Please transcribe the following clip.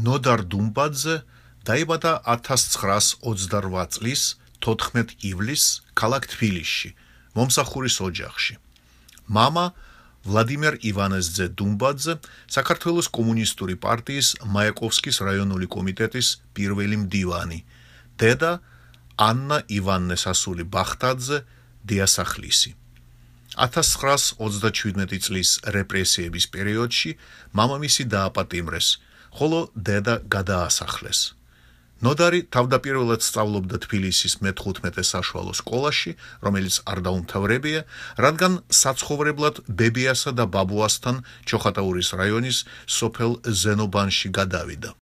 ნოდარ დუმბაძე დაიბადა 1928 წლის 14 ივლისს ქალაქ თბილისში, მომსახურის ოჯახში. მამა ვლადიმერ ივანესძე დუმბაძე საქართველოს კომუნისტური პარტიის მაიაკოვსკის რაიონული კომიტეტის პირველი მდივანი, დედა ანნა ივანესასული ბახტაძე დიასახლისი. 1937 წლის რეპრესიების პერიოდში მამამისი დააპატიმრეს, ხოლო დედა გადაასახლეს. ნოდარი თავდაპირველად სწავლობდა თბილისის მე-15 საშუალო სკოლაში, რომელიც არ დაუმთავრებია, რადგან საცხოვრებლად ბებიასა და ბაბუასთან ჩოხატაურის რაიონის სოფელ ზენობანში გადავიდა.